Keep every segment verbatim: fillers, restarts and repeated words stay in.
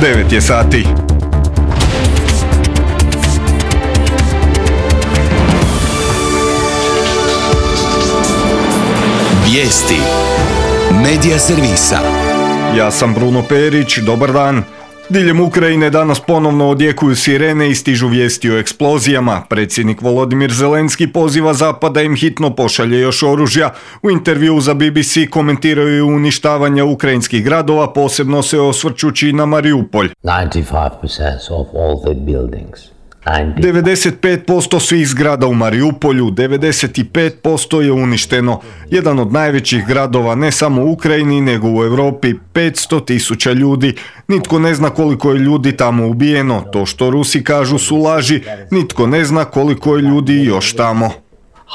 devet je sati. Vijesti Medija servisa. Ja sam Bruno Perić, dobar dan. Diljem Ukrajine danas ponovno odjekuju sirene i stižu vijesti o eksplozijama. Predsjednik Volodimir Zelenski poziva Zapad da im hitno pošalje još oružja. U intervjuu za B B C komentiraju uništavanje ukrajinskih gradova, posebno se osvrćući na Mariupolj. ninety-five percent of all the buildings. devedeset pet posto svih zgrada u Mariupolju, devedeset pet posto je uništeno. Jedan od najvećih gradova ne samo u Ukrajini nego u Europi, petsto tisuća ljudi. Nitko ne zna koliko je ljudi tamo ubijeno. To što Rusi kažu su laži. Nitko ne zna koliko je ljudi još tamo.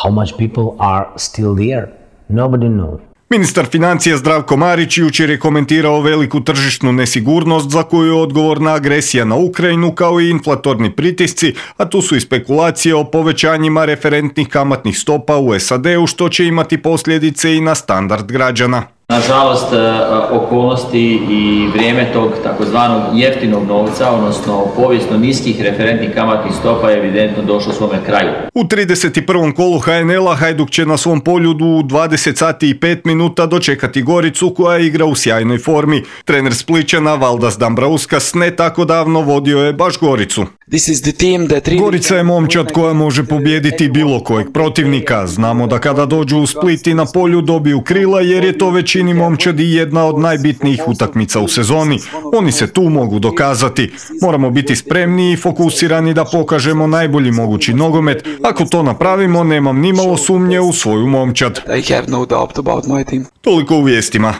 How much people are still there? Nobody knows. Ministar financija Zdravko Marić jučer je komentirao veliku tržišnu nesigurnost za koju je odgovorna agresija na Ukrajinu kao i inflatorni pritisci, a tu su i spekulacije o povećanjima referentnih kamatnih stopa u S A D-u što će imati posljedice i na standard građana. Nažalost, okolnosti i vrijeme tog takozvanog jeftinog novca, odnosno povijesno niskih referentnih kamatnih stopa je evidentno došlo svome kraju. U trideset prvom kolu H N L-a Hajduk će na svom poljudu u dvadeset sati i pet minuta dočekati Goricu koja igra u sjajnoj formi. Trener Splićana Valdas Dambrauskas ne tako davno vodio je baš Goricu. Gorica je momčad koja može pobijediti bilo kojeg protivnika. Znamo da kada dođu u Split i na polju dobiju krila jer je to većini momčadi jedna od najbitnijih utakmica u sezoni. Oni se tu mogu dokazati. Moramo biti spremni i fokusirani da pokažemo najbolji mogući nogomet. Ako to napravimo, nemam nimalo sumnje u svoju momčad. Toliko u vijestima.